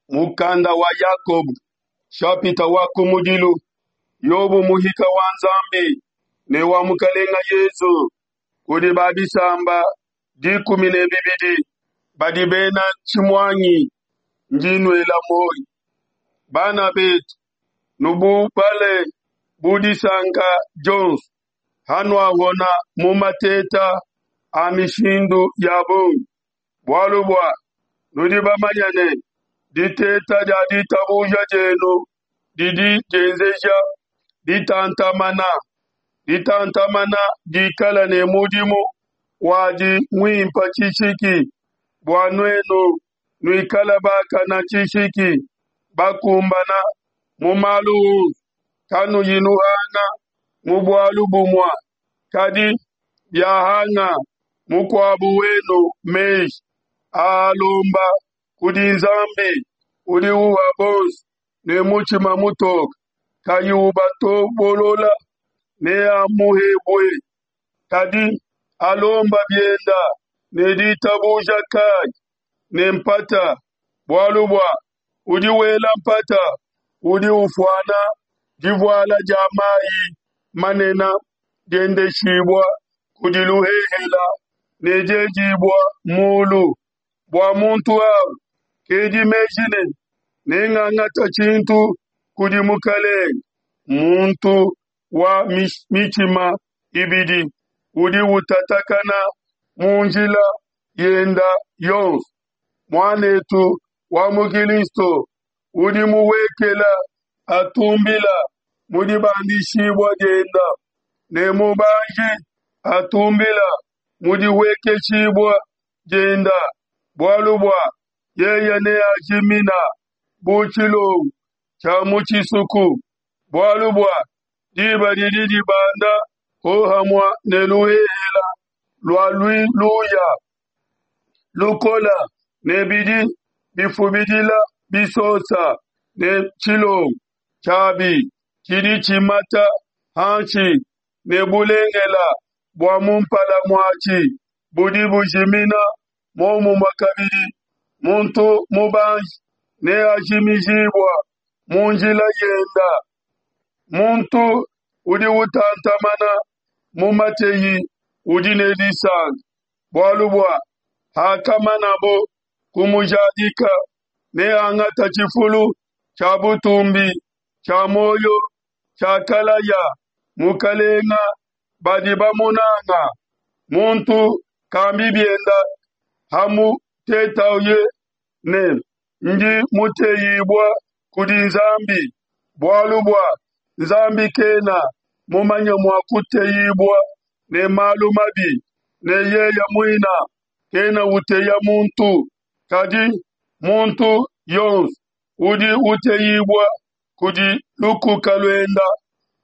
Mukanda wa Yakobo, shapita wa kumudilu, Yobo muhika wa Nzambi ne wa Mukalenga Yezu kudi ba bisamba 12 badi bena tshimuangi ndi nuela muoyo. Bana betu, nububale bu disanka dionso hanuahona mu mateta a mishindu ya bungi, bualu bua nudi bamanye ne, diteta dia ditabuja dienu didi dienzeja ditantamana. Ditantamana dikala ne mudimu wadi muimpe tshishiki, bua nuenu nuikale bakana tshishiki, bakumbana mu malu onso, kanuyi nuhanga mu bualu bumue. Kadi biahanga mukuabu wenu meji, aalomba kudi Nzambi udi uha bonso ne mutshima mutoke, kayi ubatobolola, neamuhebue. Kadi alomba bienda ne ditabuja kayi ne mpata, bualu bua udi wela mpata udi ufuana divuala dia mayi manene diendeshibua kudi luhehela ne diedibua mulu. Bua muntu au kedi meji ne, nengangata tshintu kudi Mukalenge. Muntu wa mitshima ibidi udi utatakana mu njila yenda yonso. Muanetu wa mu Kristo udi muwekela atumbila mu dibandishibua dienda, ne mubanji atumbila mu dihuekeshibua dienda, bualu bua yeye neajimina bu tshilongo tshia mu tshisuku, bualu bua diba didi dibanda hohamua ne luhehela lua luya lukola ne bidi bifubidila bisosa ne tshilongo tshiabi tshidi tshimata hanshi ne bulengela bua mu mpala muatshi budi bujimina. Muomumue kabidi, muntu mubanji neajimijibua mu njila yenda. Muntu udi utantamana mu mateyi udi ne disanka, bualu bua hakamanabo kumujadika, neangata tshifulu tshia butumbi tshia muoyo tshiakalaya Mukalenga badi bamunanga. Muntu kambi bienda hamutetaye ne, ndi muteyibua kudi Nzambi, bualu bua Nzambi kena mumanye mua kuteyibua ne malu mabi, ne yeye muina kena uteya muntu. Kadi muntu yonso udi uteyibua kudi lukuka luenda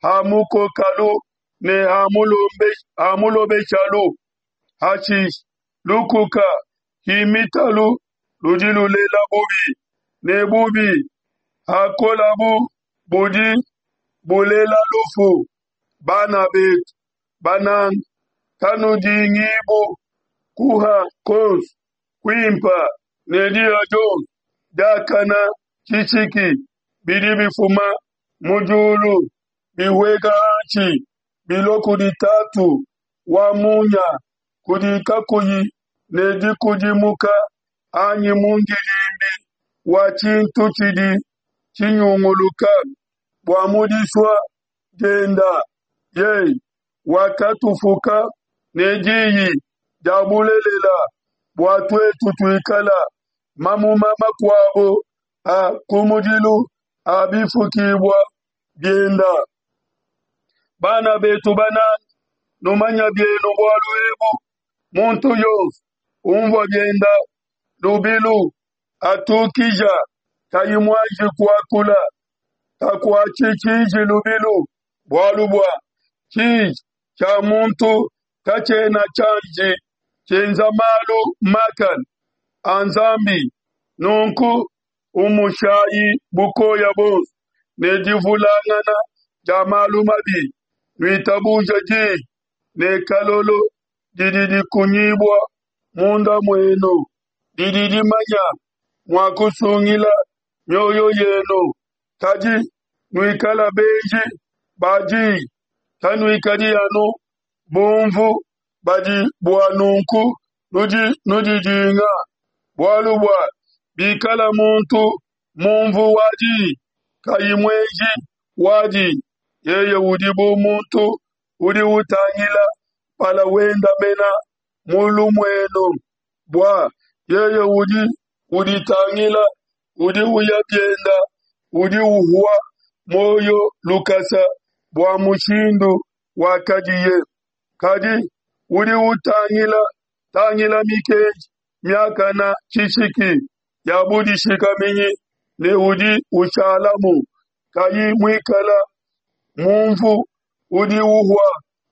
hamukokalu ne hamulobeshalu. Hashishe lukuka himitalu ludi lulela bubi, ne bubi hakolabu budi bulela lufu. Bana betu bananga, kanudingibu kuha konso kuimpa ne diha dionso diakana tshishiki bidi bifuma mu diulu, bihueka hanshi, bilua kudi Tatu wa munya, kudi kakuyi ne dikudimuka anyi mundidimbi wa tshintu tshidi tshinyunguluka. Bua mu disua dienda yeye wakatufuka ne diyi dia bulelela, bua tuetu tuikala mamuma makuabo a kumudilu a bifukibua bienda. Bana betu bananga, numanya bienu bualu ebu, muntu yonso umvua bienda lubilu, atukija kayi muanji kuakula, kakuatshi tshiji lubilu, bualu bua tshiji tshia muntu katshiena tshianji tshienza malu makane a Nzambi. Nunku umushayi bukoya buonso ne divulangana dia malu mabi, nuitabuje diyi ne kalolo didi dikunyibua munda muenu, didi dimanya mua kusungila. mioyo yenu, kadi nuikala benji ba diyi, kanuikadi anu bumvu badi bua nunku nudi nudidinga. Bualu bua bikala muntu mumvu wa diyi, kayi muenji wadi, yeye udi bu muntu udi utangila mpala wenda mena mu lumuenu, bua yeye udi uditangila, udi uya bienda, udi uhua muoyo lukasa bua mushindu wakadiye. Kadi udi utangila tangila mikenji miakana tshishiki ya budishikaminyi ne udi ushalamu, kayi muikala mumvu udi uhua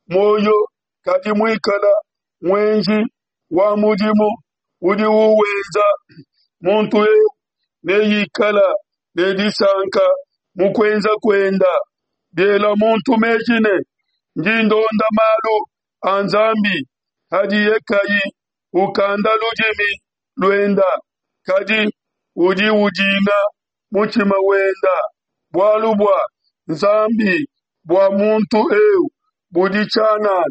muoyo, kadi muikala muenji wa mudimu udi uwenza, muntu eu neikala ne disanka mu kuenza kuenda. Biela muntu meji ne, ndi ndonda malu a Nzambi, hadiye kayi ukanda ludimi luenda, kadi udi udinga mutshima wenda. Bualu bua Nzambi bua muntu eu budi tshianana,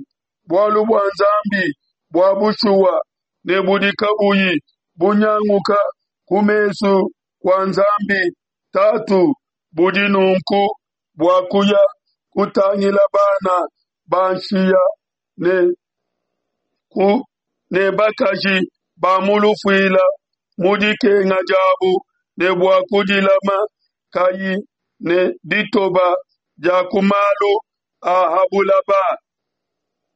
bualu bua Nzambi bua bushuwa ne budi kabuyi bunyanguka ku mesu kua Nzambi Tatu budi nunku bua kuya kutangila bana ba nshiya ne ku ne bakaji ba mu lufuila mu dikenga diabu ne bua kudilama kayi ne ditoba dia ku malu a ha bulaba.